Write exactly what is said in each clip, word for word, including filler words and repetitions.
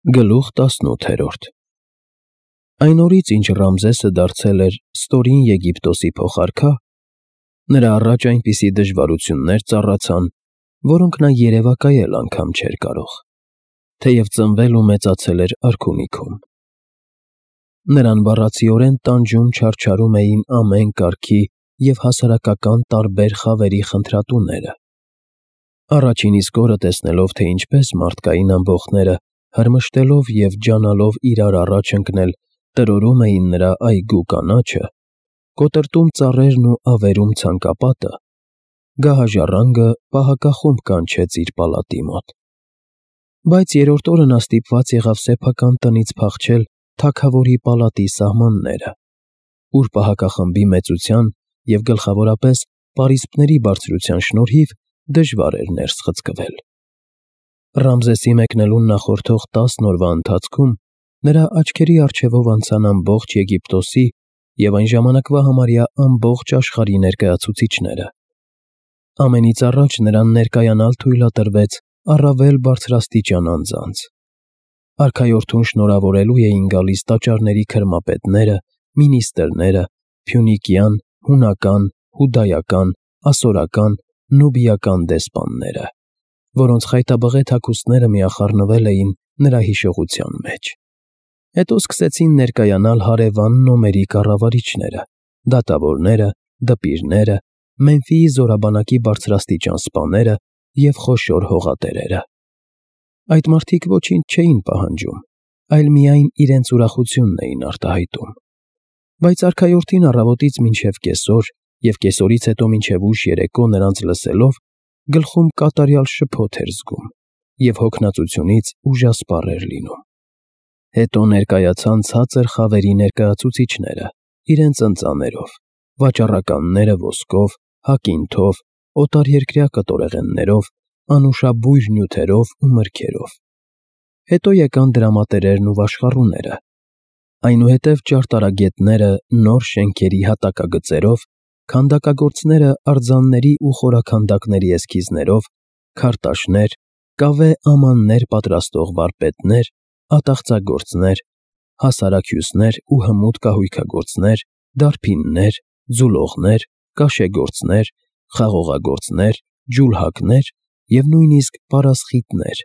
Գլուխ տասնութերորդ Այն օրից, ինչ Ռամզեսը դարձել էր ստորին Եգիպտոսի փոխարքա, նրա առաջ այնպիսի դժվարություններ ծառացան, որոնք նա երևակայել անգամ չէր կարող, թեև ծնվել ու մեծացել էր արքունիքում. նրան բառացիորեն տանջում֊չարչարում էին ամեն կարգի և հասարակական տարբեր խավերի խնդրատուները. առաջին իսկ օրը տեսնելով, թե ինչպես մարդկային ամբոխները, հրմշտելով և ջանալով իրար առաջ ընկնել, տրորում էին նրա այգու կանաչը, կոտրտում ծառերն ու ավերում ցանկապատը, գահաժառանգը պահակախումբ կանչեց իր պալատի մոտ. բայց երրորդ օրը նա ստիպված եղավ սեփական տնից փախչել թագավորի պալատի սահմանները, ուր պահակախմբի մեծության և գլխավորապես պարիսպների բարձրության շնորհիվ դժվար էր ներս խցկվել. Ռամզեսի մեկնելուն նախորդող տասն օրվա ընթացքում նրա աչքերի առջևով անցան ամբողջ Եգիպտոսի և այն ժամանակվա համարյա ամբողջ աշխարհի ներկայացուցիչները. ամենից առաջ նրան ներկայանալ թույլատրվեց առավել բարձրաստիճան անձանց. արքայորդուն շնորհավորելու էին գալիս տաճարների քրմապետները, մինիստրները, փյունիկյան, հունական, հուդայական, ասորական, նուբիական դեսպանները, որոնց խայտաբղետ հագուստները միախառնվել էին նրա հիշողության մեջ. հետո սկսեցին ներկայանալ հարևան նոմերի կառավարիչները, դատավորները, դպիրները, Մեմֆիի զորաբանակի բարձրաստիճան սպաները և խոշոր հողատերերը. այդ մարդիկ ոչինչ չէին պահանջում, այլ միայն իրենց ուրախությունն էին արտահայտում, բայց արքայորդին առավոտից մինչև կեսօր և կեսօրից հետո մինչև ուշ երեկո նրանց լսելով, գլխում կատարյալ շփոթ էր զգում և հոգնածությունից ուժասպառ էր լինում. հետո ներկայացան ցածր խավերի ներկայացուցիչները իրենց ընծաներով, վաճառականները ոսկով, հակինթով, օտարերկրյա կտորեղեններով, անուշաբույր նյութերով ու մրգերով. հետո եկան դրամատերերն ու վաշխառուները, այնուհետև ճարտարագետները նոր շենքերի հատակագծերով, քանդակագործները արձանների ու խորաքանդակների էսքիզներով, քարտաշներ, կավե ամաններ պատրաստող վարպետներ, ատաղծագործներ, հասարակ հյուսներ ու հմուտ կահույքագործներ, դարբիններ, ձուլողներ, կաշեգործներ, խաղողագործներ, ջուլհակներ և նույնիսկ պարասխիտներ,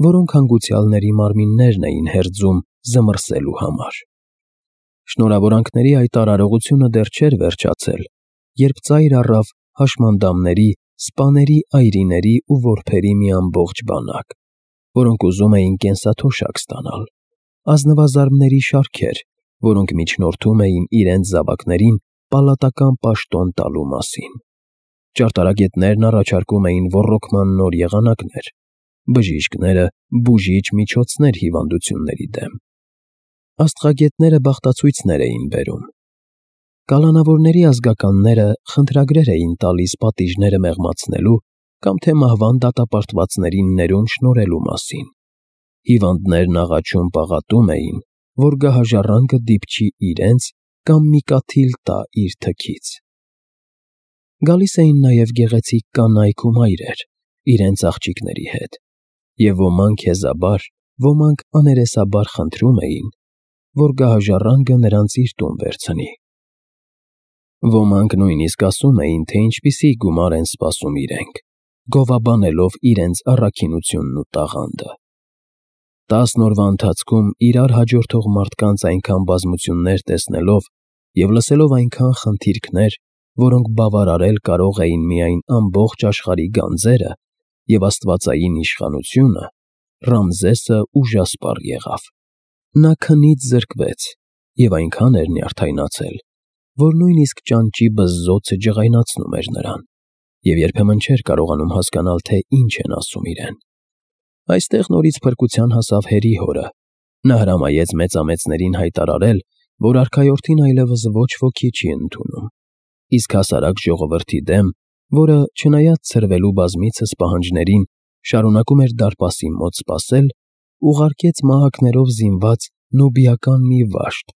որոնք հանգուցյալների մարմիններն էին հերձում զմռսելու համար. Շնորհավորանքների այդ արարողությունը դեռ չէր վերջացել, երբ ծայր առավ հաշմանդամների, սպաների այրիների ու որբերի մի ամբողջ բանակ, որոնք ուզում էին կենսաթոշակ ստանալ, ազնվազարդների շարքեր, որոնք միջնորդում էին իրենց զավակներին պալատական պաշտոն տալու մասին. ճարտարագետներն առաջարկում էին ոռոգման նոր եղանակներ, բժիշկները՝ բուժիչ միջոցներ հիվանդությունների դեմ, աստղագետները բախտացույցներ էին բերում, կալանավորների ազգականները խնդրագրեր էին տալիս պատիժները մեղմացնելու կամ թե մահվան դատապարտվածներին ներում շնորհելու մասին, հիվանդներն աղաչում֊պաղատում էին, որ գահաժառանգը դիպչի իրենց կամ մի կաթիլ տա իր թքից. գալիս էին նաև գեղեցիկ կանայք ու մայրեր իրենց աղջիկների հետ, և ոմանք հեզաբար, ոմանք աներեսաբար խնդրում էին, որ գահաժառանգը նրանց իր տուն վերցնի. ոմանք նույնիսկ ասում էին, թե ինչպիսի գումար են սպասում իրենք, գովաբանելով իրենց առաքինությունն ու տաղանդը. տասն օրվա ընթացքում իրար հաջորդող մարդկանց այնքան բազմություններ տեսնելով և լսելով այնքան խնդիրքներ, որոնք բավարարել կարող էին միայն ամբողջ աշխարհի գանձերը և աստվածային իշխանությունը, Ռամզեսը ուժասպառ եղավ. նա քնից զրկվեց և այնքան էր նյարդայնացել, որ նույնիսկ ճանճի բզզոցը ջղայնացնում էր նրան և երբեմն չէր կարողանում հասկանալ, թե ինչ են ասում իրեն. այստեղ նորից փրկության հասավ Հերի հորը, նա հրամայեց մեծամեծներին հայտարարել, որ արքայորդին այլևս ոչ ոքի չի ընդունում, իսկ հասարակ ժողովրդի դեմ, որը, չնայած ցրվելու բազմիցս պահանջներին, շարունակում էր դարպասի մոտ սպասել, ուղարկեց մահակներով զինված նուբիական մի վաշտ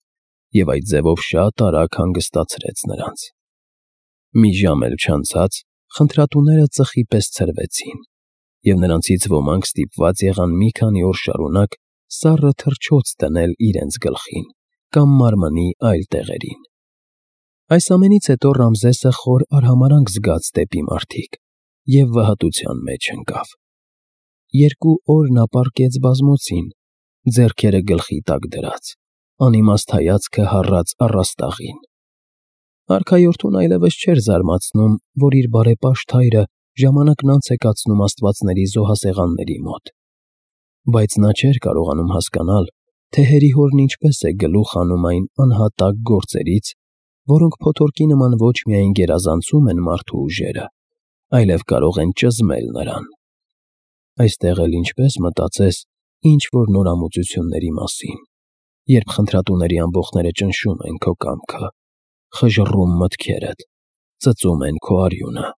և այդ ձևով շատ արագ հանգստացրեց նրանց. մի ժամ էլ չանցած խնդրատուները ծխի պես ցրվեցին, և նրանցից ոմանք ստիպված եղան մի քանի օր շարունակ սառը թռչոց դնել իրենց գլխին կամ մարմնի այլ տեղերին։ Այս ամենից հետո Ռամզեսը խոր արհամարհանք զգաց դեպի մարդիկ և վհատության մեջ ընկավ։ Երկու օր նա պառկեց բազմոցին, ձեռքերը գլխի տակ դրած, անիմաստ հայացքը հառած առաստաղին։ Արքայորդուն այլևս չէր զարմացնում, որ իր բարեպաշտ հայրը ժամանակն անց է կացնում աստվածների զոհասեղանների մոտ, բայց նա չէր կարողանում հասկանալ, թե հերիհորն ինչպես է գլուխ հանում այն անհատակ գործերից, որոնք փոթորկի նման ոչ միայն գերազանցում են մարդու ուժերը, այլև կարող են ճզմել նրան։ Այստեղ էլ ինչպես մտածես ինչ-որ նորամուծությունների մասին, երբ խնդրատուների ամբոխները ճնշում են քո կամքը, խժռում մտքերդ, ծծում են քո արյունը։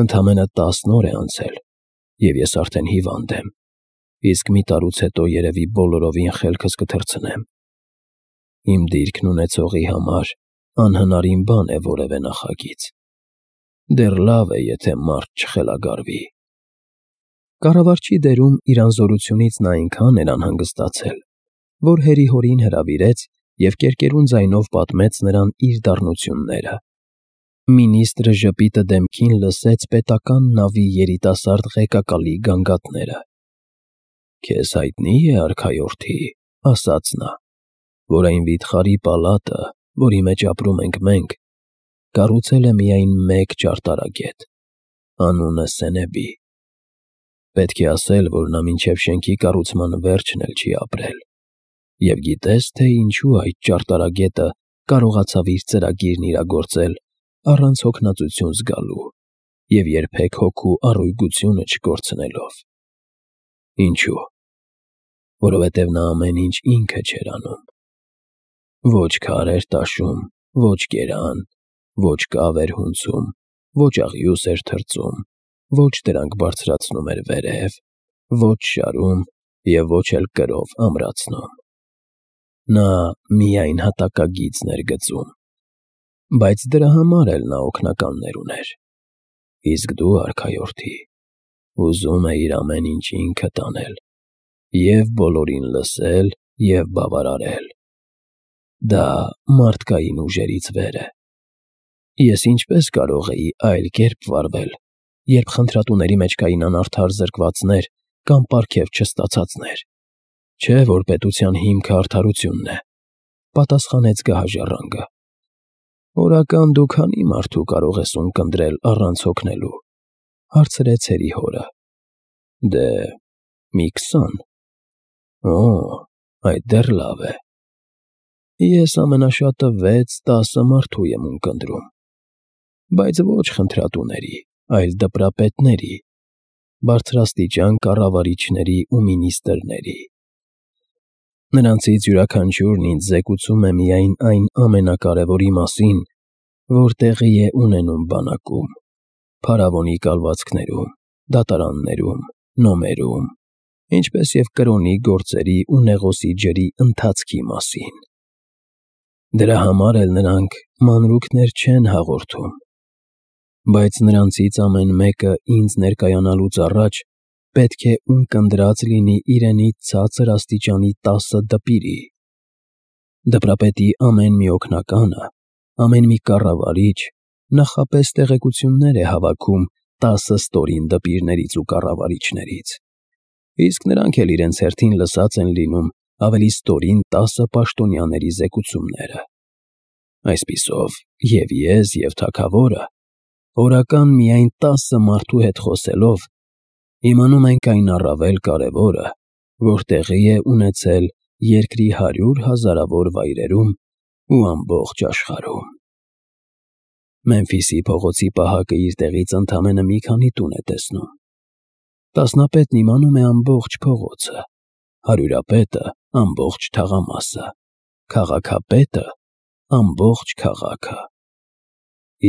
Ընդամենը տասն օր է անցել, և ես արդեն հիվանդ եմ, իսկ մի տարուց հետո երևի բոլորովին խելքս կթռցնեմ։ Իմ դիրքն ունեցողի համար անհնարին բան է որևէ նախագիծ։ Դեռ լավ է, եթե մարդ չխելագարվի։ Կառավարչի դերում իր անզորությունից նա այնքան էր անհանգստացել, որ հերիհորին հրավիրեց և կերկերուն ձայնով պատմեց նրան իր դառնությունները։ Մինիստրը ժպիտը դեմքին լսեց պետական նավի երիտասարդ ղեկակալի գանգատները։ «Քեզ հայտնի է, արքայորդի, — ասաց նա, — որ այն վիթխարի պալատը, որի մեջ ապրում ենք մենք, կառուցել է միայն մեկ ճարտարագետ, անունը Սենեբի։ Պետք է ասել, որ նա մինչև շենքի կառուցման վերջն էլ չի ապրել։ Եվ գիտե՞ս, թե ինչու այդ ճարտարագետը կարողացավ իր ծրագիրն իրագործել առանց հոգնածություն զգալու և երբեք հոգու առույգությունը չկորցնելով։ Ինչու՞։ Որովհետև նա ամեն ինչ ինքը չէր անում։ Ոչ քար էր տաշում, ոչ գերան, ոչ կավ էր հունձում, ոչ աղյուս էր թրծում, ոչ դրանք բարձրացնում էր վերև, ոչ շարում և ոչ էլ կրով ամրացնում։ Նա միայն հատակագիծն էր գծում, բայց դրա համար էլ նա օգնականներ ուներ։ Իսկ դու, արքայորդի, ուզում էիր ամեն ինչ ինքդ անել և բոլորին լսել և բավարարել։ Դա մարդկային ուժերից վեր է։ Ես ինչպես կարող էի այլ կերպ վարվել, երբ խնդրատուների մեջ կային անարդար զրկվածներ կամ պարգև չստացածներ։ Չէ՞ որ պետության հիմքը արդարությունն է, ֊ պատասխանեց գահաժառանգը։ Օրական դու քանի՞ մարդու կարող ես ունկնդրել առանց հոգնելու, ֊ հարցրեց հերիհորը։ Դե, մի քսան։ Օ, այդ դեռ լավ է։ Ես ամենաշատը վեց֊տասը մարդու եմ ունկնդրում, բայց ոչ խնդրատուների, այլ դպրապետների, բարձրաստիճան կառավարիչների ու մինիստրների։ Նրանցից յուրաքանչյուրն ինձ զեկուցում է միայն այն ամենակարևորի մասին, որ տեղի է ունենում բանակում, փարավոնի կալվածքներում, դատարաններում, նոմերում, ինչպես և կրոնի գործերի ու Նեղոսի ջրի ընթացքի մասին։ Դրա համար էլ նրանք մանրուքներ չեն հաղորդում։ Բայց նրանցից ամեն մեկը ինձ ներկայանալուց առաջ պետք է ունկնդրած լինի իրենից ցածր աստիճանի տասը դպիրի։ Դպրապետի ամեն մի օգնականը, ամեն մի կառավարիչ նախապես տեղեկություններ է հավաքում տասը ստորին դպիրներից ու կառավարիչներից, իսկ նրանք էլ իրենց հերթին լսած են լինում ավելի ստորին տասը պաշտոնյաների զեկուցումները։ Այսպիսով, և՛ ես, և՛ թագավորը օրական միայն տասը մարդու հետ խոսելով իմանում ենք այն առավել կարևորը, որ տեղի է ունեցել երկրի հարյուր հազարավոր վայրերում ու ամբողջ աշխարհում։ Մեմֆիսի փողոցի պահակը իր տեղից ընդամենը մի քանի տուն է տեսնում։ Տասնապետն իմանում է ամբողջ փողոցը, հարյուրապետը ամբողջ թաղամասը, քաղաքապետը ամբողջ քաղաքը։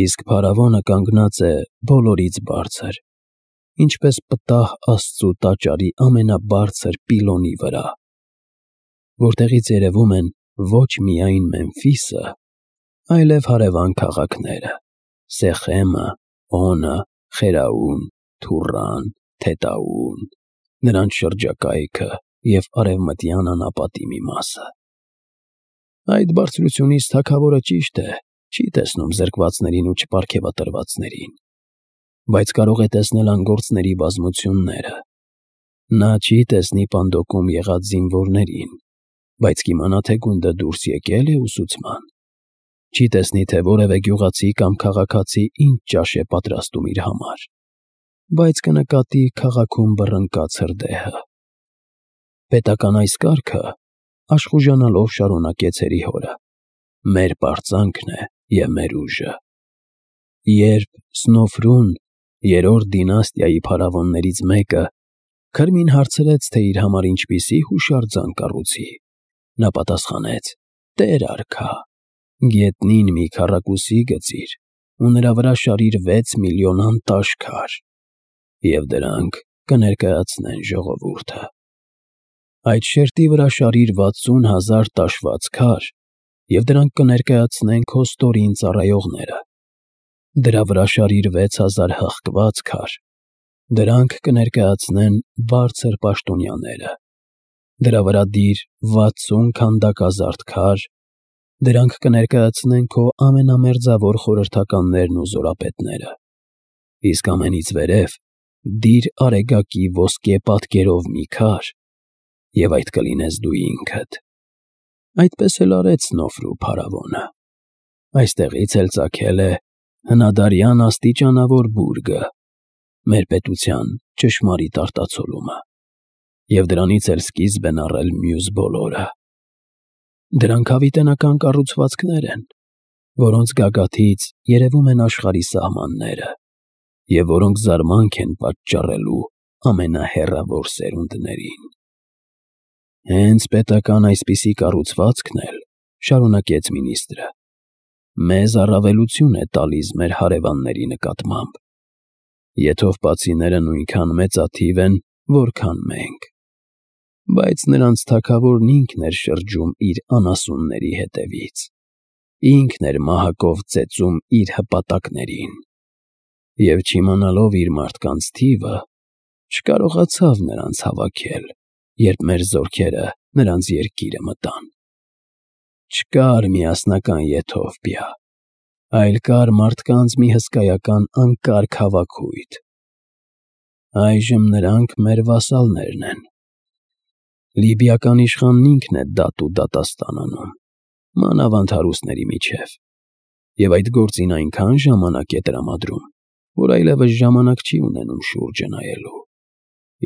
Իսկ փարավոնը կանգնած է բոլորից բարձր, ինչպես պտահ Աստծու տաճարի ամենաբարձր պիլոնի վրա, որտեղից երևում են ոչ միայն Մեմֆիսը, այլև հարևան քաղաքները՝ Սեխեմը, Օնը, Խերաուն, Թուրրան, Թետաուն, նրանց շրջակայքը և արևմտյան անապատի մի մասը։ Այդ բարձրությունից թագավորը ճիշտ է, չի տեսնում զրկվածներին ու չպարգևատրվածներին, բայց կարող է տեսնել անգործների բազմությունները։ Նա չի տեսնի պանդոկում եղած զինվորներին, բայց կիմանա, թե գունդը դուրս եկել է ուսուցման։ Չի տեսնի, թե որևէ գյուղացի կամ քաղաքացի ինչ ճաշ է պատրաստում իր համար, բայց կնկատի քաղաքում բռնկած հրդեհը։ Պետական այս կարգը, աշխուժանալով շարունակեց հերիհորը, մեր պարծանքն է և մեր ուժը։ Երբ Սնոֆրուն, երրորդ դինաստիայի փարավոններից մեկը, Քրմին հարցրեց, թե իր համար ինչպիսի հուշարձան կառուցի, նա պատասխանեց. «Տեր արքա, գետնին մի քառակուսի գծիր ու նրա վրա շարիր վեց միլիոն անտաշ քար, և դրանք կներկայացնեն ժողովուրդը։ Այդ շերտի վրա շարիր վաթսուն հազար տաշված քար, և դրանք կներկայացնեն քո ստորին ծառայողները։ Դրա վրա շարիր վեց հազար հղկված քար, դրանք կներկայացնեն բարձր պաշտոնյաները։ Դրա վրա դիր վաթսուն քանդակազարդ քար, դրանք կներկայացնեն քո ամենամերձավոր խորհրդականներն ու զորապետները։ Իսկ ամենից վերև դիր արեգակի ոսկե պատկերով մի քար, և այդ կլինես դու ինքդ»։ Այդպես էլ արեց Սնոֆրու փարավոնը։ Այստեղից էլ ծագել է հնադարյան աստիճանավոր բուրգը, մեր պետության ճշմարիտ արտացոլումը, և դրանից էլ սկիզբ են առել մյուս բոլորը։ Դրանք հավիտենական կառուցվածքներ են, որոնց գագաթից երևում են աշխարհի սահմանները, և որոնք զարմանք են պատճառելու ամենահեռավոր սերունդներին։ Հենց պետական այսպիսի կառուցվածքն էլ, շարունակեց մինիստրը, մեզ առավելություն է տալիս մեր հարևանների նկատմամբ։ Եթովպացիները նույնքան մեծաթիվ են, որքան մենք, բայց նրանց թագավորն ինքն էր շրջում իր անասունների հետևից, ինքն էր մահակով ծեծում իր հպատակներին, և չիմանալով իր մարդկանց թիվը, չկարողացավ նրանց հավաքել, երբ մեր զորքերը նրանց երկիրը մտան։ Չկար միասնական Եթովպիա, այլ կար մարդկանց մի հսկայական անկարգ հավաքույթ։ Այժմ նրանք մեր վասալներն են։ Լիբիական իշխանն ինքն է դատ ու դատաստան անում, մանավանդ հարուստների միջև, և այդ գործին այնքան ժամանակ է տրամադրում, որ այլևս ժամանակ չի ունենում շուրջը նայելու։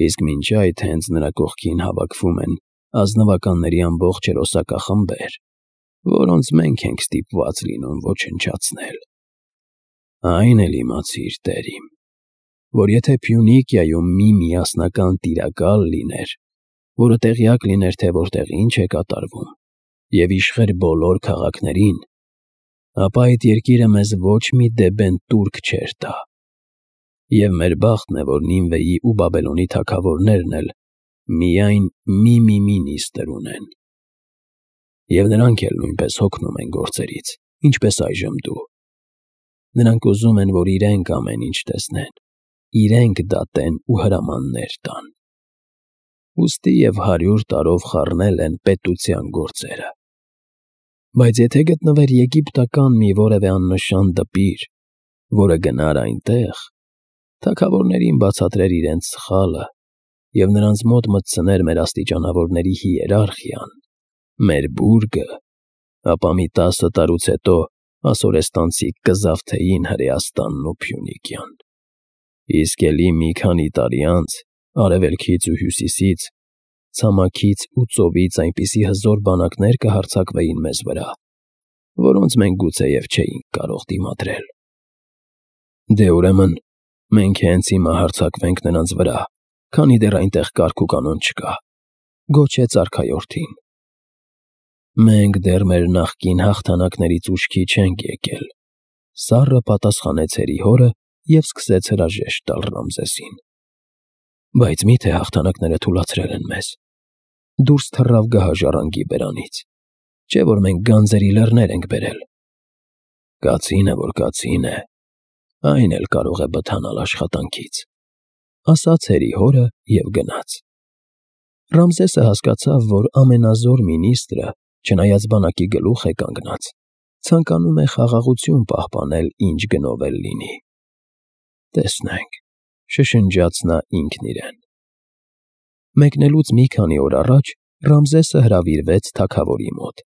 Իսկ մինչ այդ հենց նրա կողքին հավաքվում են ազնվականների ամբողջ հերոսակախմբեր, որոնց մենք ենք ստիպված լինում ոչնչացնել։ Այն էլ իմացիր, տեր իմ, որ եթե Փյունիկիայում մի միասնական տիրակալ լիներ, որը տեղյակ լիներ, թե որտեղ ինչ է կատարվում, և իշխեր բոլոր քաղաքներին, ապա այդ երկիրը մեզ ոչ մի դեբեն տուրք չէր տա։ Եվ մեր բախտն է, որ Նինվեի ու Բաբելոնի թագավորներն էլ միայն մի-մի մինիստր ունեն։ Եվ նրանք էլ նույնպես հոգնում են գործերից, ինչպես այժմ դու։ Նրանք ուզում են, որ իրենք ամեն ինչ տեսնեն, իրենք դատեն ու հրամաններ տան։ Ուստի և հարյուր տարով խառնել են պետության գործերը։ Բայց եթե գտնվեր եգիպտական մի որևէ աննշան դպիր, որը գնար այնտեղ, թագավորներին բացատրեր իրենց սխալը և նրանց մոտ մտցներ մեր աստիճանավորների հիերարխիան, մեր բուրգը, ապա մի տասը տարուց հետո ասորեստանցիք կզավթեին Հրեաստանն ու Փյունիկյան։ Իսկ էլի մի քանի տարի անց արևելքից ու հյուսիսից, ցամաքից ու ծովից այնպիսի հզոր բանակներ կհարձակվեին մեզ վրա, որոնց մենք գուցեև չէինք կարող դիմադրել։ Դե ուրեմն մենք հենց հիմա հարձակվենք նրանց վրա, քանի դեռ այնտեղ կարգ ու կանոն չկա, գոչեց արքայորդին։ Մենք դեռ մեր նախկին հաղթանակներից ուշքի չենք եկել, սառը պատասխանեց հերիհորը և սկսեց հրաժեշտ տալ Ռամզեսին։ Բայց մի՞թե հաղթանակները թուլացրել են մեզ։ Դուրս թռավ գահաժառանգի բերանից, չէ՞ որ մենք գանձերի լեռներ ենք բերել։ Կացինը, որ կացին է, այն էլ կարող է բթանալ աշխատանքից, ասաց հերիհորը և գնաց։ Ռամզեսը հասկացավ, որ ամենազոր մինիստրը, չնայած բանակի գլուխ է կանգնած, ցանկանում է խաղաղություն պահպանել ինչ գնով էլ լինի։ «Տեսնենք», շշնջաց նա ինքն իրեն։ Մեկնելուց մի քանի օր առաջ Ռամզեսը հրավիրվեց թագավորի մոտ։